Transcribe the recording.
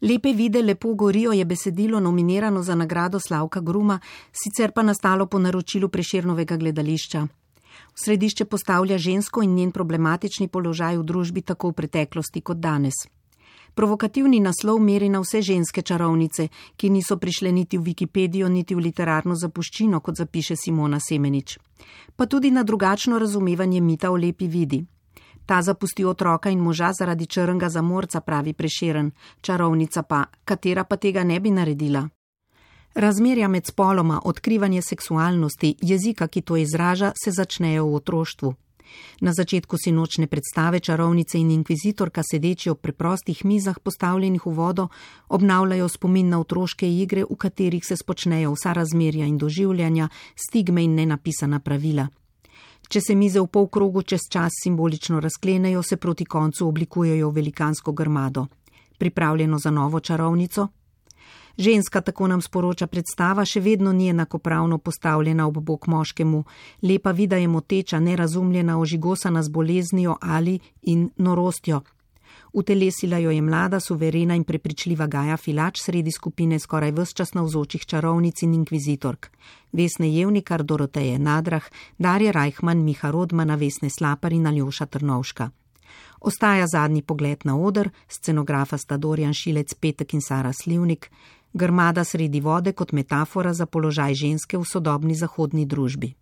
Lepe vide lepo gorijo je besedilo nominirano za nagrado Slavka Gruma, sicer pa nastalo po naročilu Prešernovega gledališča. V središče postavlja žensko in njen problematični položaj v družbi tako v preteklosti kot danes. Provokativni naslov meri na vse ženske čarovnice, ki niso prišle niti v Wikipedijo, niti v literarno zapuščino, kot zapiše Simona Semenič. Pa tudi na drugačno razumevanje mita o lepi vidi. Ta zapusti otroka in moža zaradi črnega zamorca, pravi Prešeren, čarovnica pa, katera pa tega ne bi naredila. Razmerja med spoloma, odkrivanje seksualnosti, jezika, ki to izraža, se začnejo v otroštvu. Na začetku sinočne predstave čarovnice in inkvizitorka sedeči ob preprostih mizah postavljenih v vodo obnavljajo spomin na otroške igre, v katerih se spočnejo vsa razmerja in doživljanja, stigme in nenapisana pravila. Če se mize v polkrogu čez čas simbolično razklenejo, se proti koncu oblikujejo velikansko grmado. Pripravljeno za novo čarovnico? Ženska, tako nam sporoča predstava, še vedno ni enakopravno postavljena ob bok moškemu. Lepa vida je moteča, nerazumljena, ožigosana z boleznijo ali in norostjo. Utelesila jo je mlada, suverena in prepričljiva Gaja Filač sredi skupine skoraj ves čas navzočih čarovnic in inkvizitork. Vesne Jevnikar, Doroteje Nadrah, Darja Rajhman, Miha Rodmana, Vesne Slapar in Aljoša Trnovška. Ostaja zadnji pogled na oder, scenografa sta Dorjan Šilec, Petek in Sara Slivnik, grmada sredi vode kot metafora za položaj ženske v sodobni zahodni družbi.